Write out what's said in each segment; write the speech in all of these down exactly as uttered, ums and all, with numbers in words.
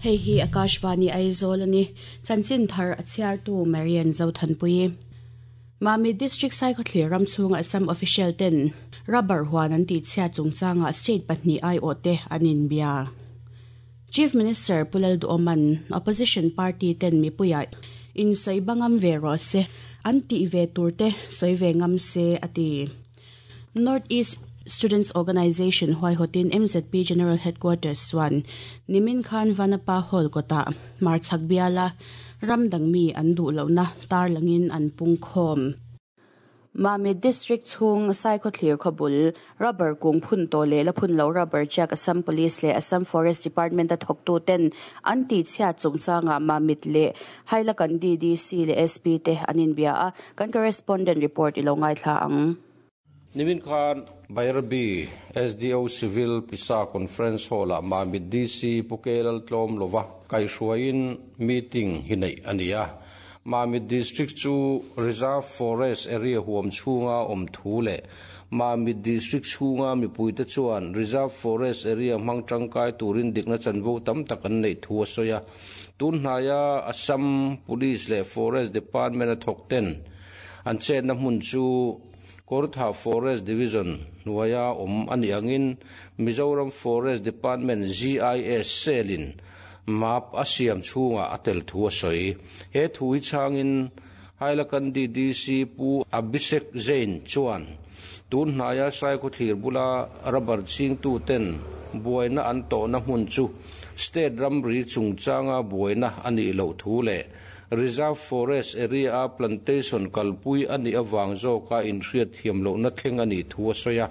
Hei hi Akashvani Aizawl ani chanchin thar a chhiartu Marian Zothanpui. Mamit District Saikhothlir ramchhunga Assam official ten rubber huan an ti chhia chungchanga state pahnih ai aw te an inbia. Chief Minister Pu Lalduhoma'n opposition party ten mipuia in sawi bangam ve rawh se an tih ve tur te sawi ve ngam se a ti. North East Students Organisation huaihawtin M Z P General Headquarters chuan nimin khan Vanapa Hall kawtah Marchhak biala ram dangmi an duh lohna tarlangin an pung khawm. Mamit District chhung Saikhothlir khawbul rubber kung phun tawh leh la phun lo rubber check Assam Police leh Assam Forest Department a thawktu ten an tih chhiat chungchangah Mamit leh Hailakandi D C leh S P te an inbia a, kan correspondent report i lo ngaithla ang. Nimin khan Bairabi S D O Civil Pisa Conference Hall ah Mamit D C Pu K Laltlawmlova kaihhruaiin meeting hi neih a ni a. Mamit District chu Reserve Forest Area huam chhunga awm thu leh Mamit District chhunga mipuite chuan Reserve Forest Area hmang tangkai turin dikna chanvo tam tak an neih thu a sawi a. Tun hnaia Assam Police leh Forest Department a thawk ten an chetna hmun chu Kawrthah Forest Division hnuaia awm a nih angin Mizoram Forest Department G I S Cell-in map a siam chhungah a tel thu a sawi. He thu hi chhangin Hailakandi D C Pu Abhishek Jain chuan tun hnaia Saikhothlir bula rubber chingtu ten buaina an tawhna hmun chu state ramri chungchanga buaina a nih loh thu leh Reserve Forest Area a plantation kalpui a nih awang zawka inhriat thiam lohna thleng a nih thu a sawi a.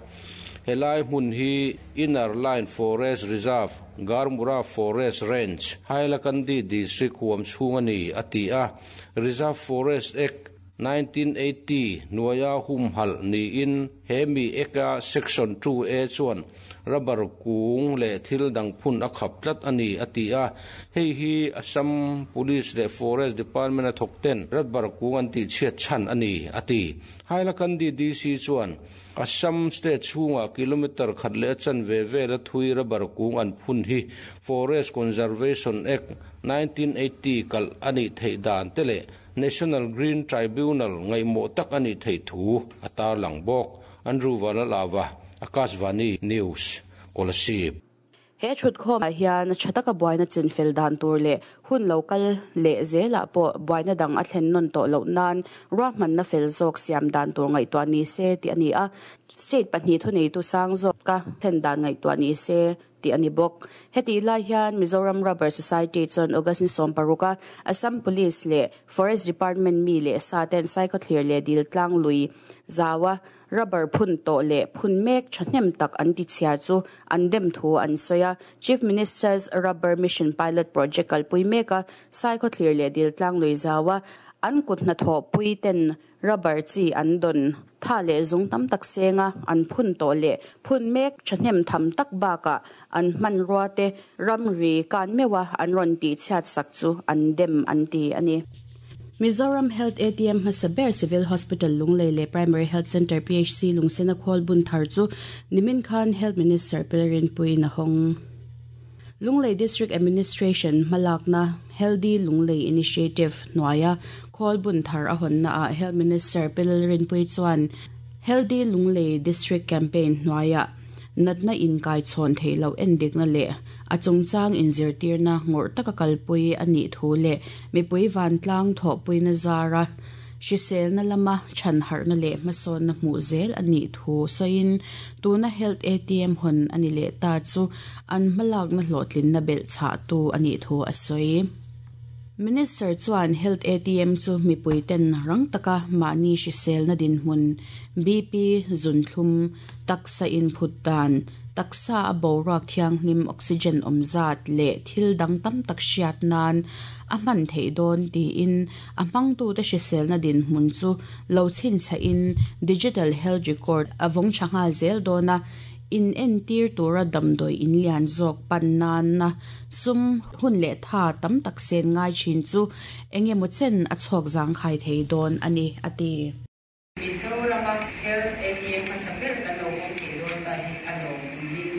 Helai hmun hi Inner Line Forest Reserve, Garmura Forest Range, Hailakandi District huam chhung a ni a ti a. Reserve Forest Act nineteen eighty hnuaia humhalh niin hemi Act-a Section two A chuan rubber kung leh thil dang phun a khap tlat a ni a ti a. Hei hi Assam Police leh Forest Department a thawk ten rubber kung an tih chhiat chhan a ni a ti. Hailakandi D C chuan Assam state chhunga kilometer khat leh chan ve vel a thui rubber kung an phun hi Forest Conservation Act nineteen eighty kal ani theih dan te leh National Green Tribunal ngaihmawh tak ani thei thu a tarlang bawk. Andrew Vanlalava, Akashvani News, Kolasib. He thut khawm ah hian thataka buaina chinfel dan tur leh hun local leh zelah pawh buaina dang a thlen nawn tawh loh nan ruahmanna fel zawk siam dan tur ngaihtuah ni se tih a ni a. State pahnih thunei tu sang zawk ka thlen dan ngaihtuah ni se tih a ni bawk. Heti lai hian Mizoram Rubber Society chuan August ni sawm paruka Assam Police leh Forest Department mi leh sa ten Saikhothlir leh Diltlang lui zawa rubber phun tawh leh phun mek thahnem tak an ti chhia chu an dem thu an sawi a. Chief Minister's Rubber Mission Pilot Project kalpui meka Saikhothlir leh Diltlang lui zawa an kut hnathawh pui ten rubber chi an don tha leh zung tam tak senga an phun tawh leh phun mek thahnem tham tak baka an hman rua te ramri kan mewa an rawn ti chhiat sak chu an dem an ti ani. Mizoram Health A T M hmasa ber Civil Hospital Lunglei leh Primary Health Center P H C Lungsena khawl bun thar chu nimin khan Health Minister Pi Lalrinpuii a hawng. Lunglei District Administration hmalakna Healthy Lunglei Initiative hnuaia khawl bun thar a hawnna ah Health Minister Pi Lalrinpuii chuan Healthy Lunglei District Campaign hnuaia natna in kai chhawn theihloh endikna leh a chungchang inzirtirna ngawrh taka kalpui a nih thu leh mipui vantlang thawhpuina zara hriselna lama chhan harhna leh hmasawnna hmuh zel a nih thu sawiin tuna Health A T M hawn ani leh ta chu an hmalakna hlawhtlinna belh chhah tu a nih thu a sawi. Minister chuan Health A T M chu mipui ten rang taka mahni hriselna dinhmun B P, zunthlum, taksa inphut dan, taksa a boruak thianghlim oxygen awm zat leh thil dang tam tak hriat nan a hman theih dawn tiin a hmangtu te hriselna dinhmun chu lo chhinchhiahin digital health record a vawng tha nghal zel dawn a. In entir tura damdawi in lian zawk pan nan na sum hun leh tha tam tak sen ngai thin chu engemaw chen a chhawk zangkhai thei dawn ani a ti. Mizorama Health A T M hmasa ber kan lo awm thei dawn ta hi a lawm min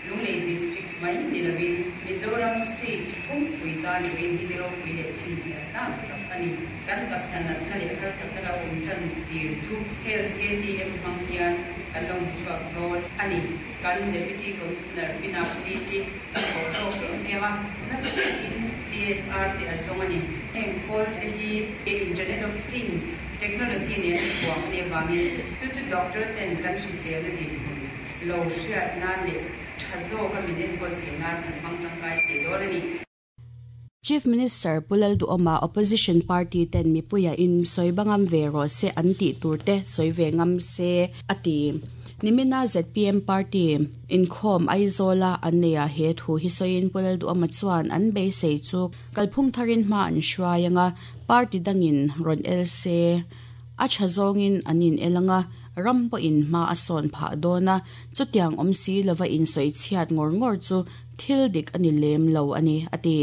Lunglei District mai ni lovin Mizoram State Pumpui tan vawiin hi ni ropui leh chhinchhiah tlak tak a ni. Kan taksa natna leh harsatna lo awm tan tir chu Health A T M hmang hian kan lo hmu chhuak dawn a ni. Kan Deputy Commissioner Pi Navneet-i a thawh hlawk em em a, nasa takin C S R te a zawng a ni. Heng khawl te hi Internet of Things technology nen a thuam a nih avangin chu chu doctor ten kan hriselna dinhmun lo hriat nan leh tha zawka min enkawl theih nan an hmang tangkai thei dawn a ni. Chief Minister Pu Lalduhoma opposition party ten mipuia in soibangam ve ro se an ti turte soive ngam se ati. Nimina Z P M party inkhawm Aizawla an neia he thu hi sawiin Pu Lalduhoma chuan an beisei chu kalphung tharin hma an hruai anga, party dangin rawn el se a tha zawngin an in elanga, ram pawhin hma a sawn phah dawna, chutiang awm si lova in sawi chhiat ngawr ngawr chu thil dik ani lem lo ani ati.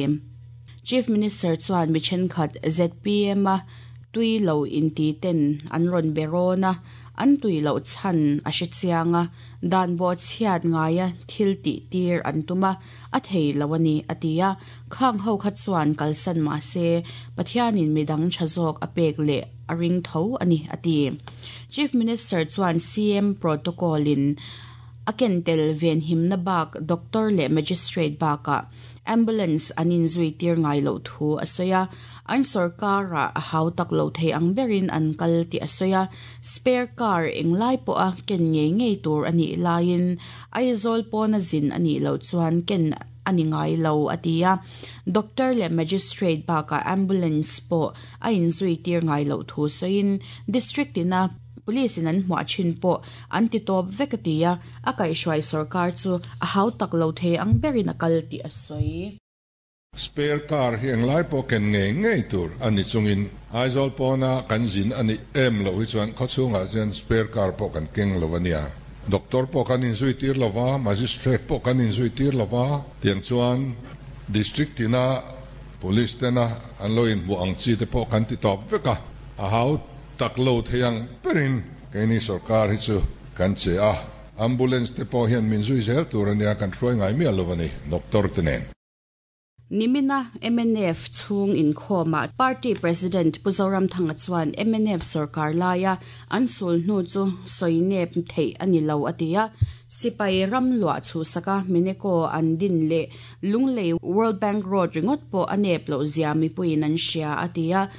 Chief Minister chuan mi thenkhat Z P M a tui lo inti ten an rawn berawna, an tui lo chan a hre chianga, dan bo chhiat ngaia thil ti tir an tuma, a thei lo ani atia. Khang ho kha chuan kalsan ma se Pathianin midang thazawk a pek leh a ring tho ani ati. Chief Minister chuan C M protocol in a kentel ven himna bak doctor leh magistrate baka ambulance anin zui tir ngai lo thu asoya. An sarkara a hau tak lo thei ang berin an kal ti asoya. Spare car englai po a ken nge ngei tur ani lain Aizawl pawna zin ani lo chuan ken ani ngai lo atia. Doctor leh magistrate baka ambulance po a in zui tir ngai lo thu soin, district ina police in an hmuah thin pawh an ti tawp vek atia. A kaihhruai sarkar chu a hau tak lo thei ang berin a kal ti a sawi. Spare car hi englai pawh ken ngei ngei tur ani chungin Aizawl pawna kan zin ani em lo hi chuan khawchhungah chuan spare car pawh kan keng lo ania. Doctor pawh kan inzui tir lova, magistrate pawh kan inzui tir lova, tiang chuan district tina police tena an lo in hmu ang chi te pawh kan ti tawp veka. A hau tak lo theiang perin keini sarkar hi chu kan che a. Ambulance te pawh hian min zui zel tur ania, kan hruai ngai mial lo ani doctor te nen. Nimina M N F chung inkhawma party president Pu Zoramthanga chuan M N F sarkar laia an sul hnu chu soinep thei ani lo atia. Sipai ram lua chu saka mineko an din le Lunglei World Bank Road ringot po anep lo zia mi puin an hria atia.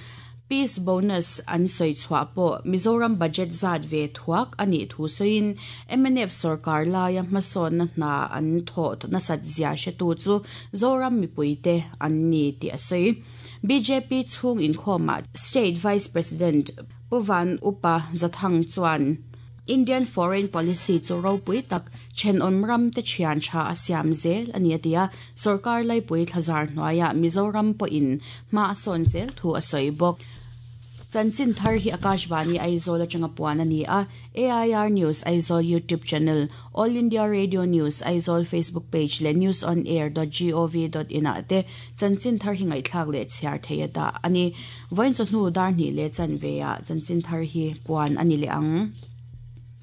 Peace bonus an soi chhuah pawh Mizoram budget zat ve thuak ani thu soin, M N F sarkar laia hmasawn na hna an thaw na sat zia hre tu chu Zoram mipuite an ni ti a sawi. B J P chhung inkhawma State Vice President Pu Van Upa Zathang chuan Indian foreign policy chu ropui tak thenawm ram te thian tha a siam zel ani atia. Sarkar laipui thlazar hnuaia Mizoram pawhin hma a sawn zel thu a sawi bawk. Chanchin thar hi Akashvani Aizawl atanga puan ani a. A I R News Aizawl YouTube channel, All India Radio News Aizawl Facebook page le newsonair dot gov dot in a te chanchin thar hi ngaihthlak leh chhiar thei da ani. Voin chu hnu dar ni le chan ve a chanchin thar hi puan ani le ang.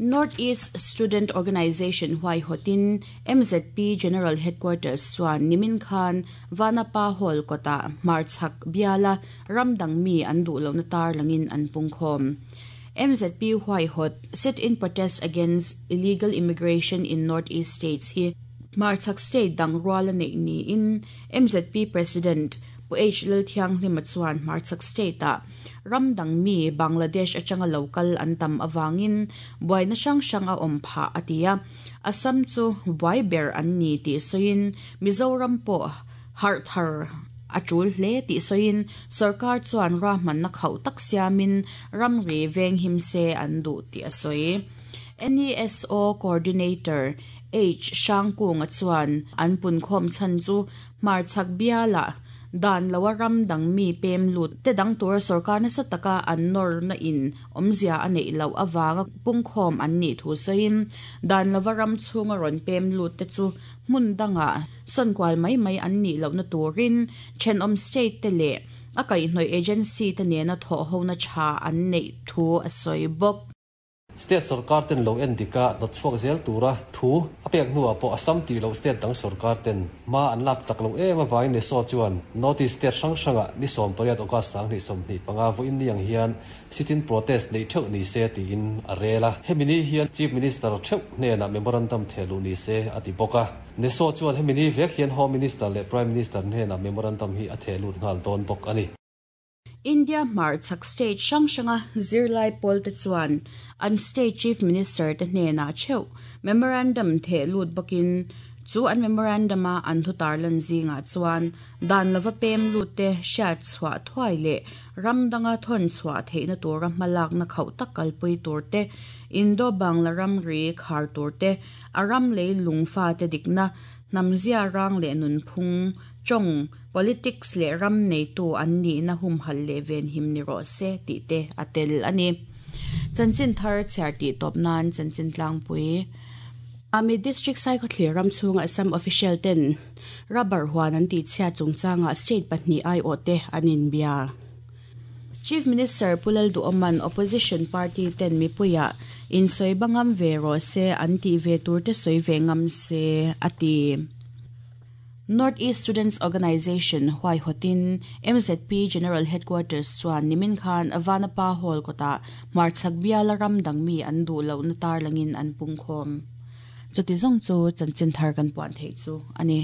North East Student Organization huai hotin M Z P General Headquarters chuan nimin khan Vanapa Hall kota Marchak biala ramdang mi an du lo na tar langin an pungkhom. M Z P huai hot sit in protest against illegal immigration in Northeast states hi Marchak state dang ruala nei ni in M Z P President Pu H Lalthiang hlima chuan Marchak state a ramdang mi Bangladesh atanga local an tam awangin buaina hrang hrang a awm pha atia. Assam chu buai ber an ni ti soin, Mizoram pawh har thar a tul hle ti soin, sarkar chuan ra man na khau tak siamin ramri veng him se an du ti a soi. N E S O Coordinator H Shangkung chuan an pun khom chan chu Marchak biala dan lawa ram dang mi pem lut te dang tur sarkar na sa taka an nor na in omzia anei lo awanga pungkhom an ni thu soin, dan lawa ram chunga ron pem lut te chu hmun danga sonkwal mai mai an ni lo na turin thenom state te le a kai hnoi agency te nena tho ho na cha an nei thu a soi bok. State sarkar ten lo en dika not chuak zel tura thu apek nuwa po Assam ti lo state dang sarkar ten ma an lak chak lo em awai ne so chuan North East state hrang hranga ni som pariat August sang ni som ni panga vo in niang hian sit-in protest nei theuh ni se ti in arela hemini hian Chief Minister theuh hne na memorandum thelu ni se ati boka ne so chuan hemini vek hian Home Minister le Prime Minister hne na memorandum hi a thelut ngal don bok ani. India mar chak state hrang hranga zirlai pawl te chuan an state chief minister te hnena cheu memorandum the lut bakin chu an memorandum a an thu tarlan zinga chuan dan lova pem lut te hriat chhuah thuai le ramdanga thon chhuah theihna tura hmalak na khauh tak kalpui tur te Indo Bangla ram ri khar tur te aram lei lungfa te dikna namzia rang le nun phung chong politics le ram nei tu an ni na hum hal le ven him ni ro se ti te atel ani chanchin thar chher ti top nan chanchin tlang pui Ami district sai kho thlir ram chunga Assam official ten rubber huan an ti chhia chungchanga state pahnih ai o te anin bia. Chief Minister Pulal Duoman opposition party ten mipuya in soi bangam ve ro se an ti ve tur te soi ve ngam se ati. North East Students Organization Huai Hotin M Z P General Headquarters chuan nimin khan Avanapa Hall kota marchak biala ram dangmi an du lo na tar langin an pungkhom. Chuti zong chu chanchin thar kan puan thei chu ani.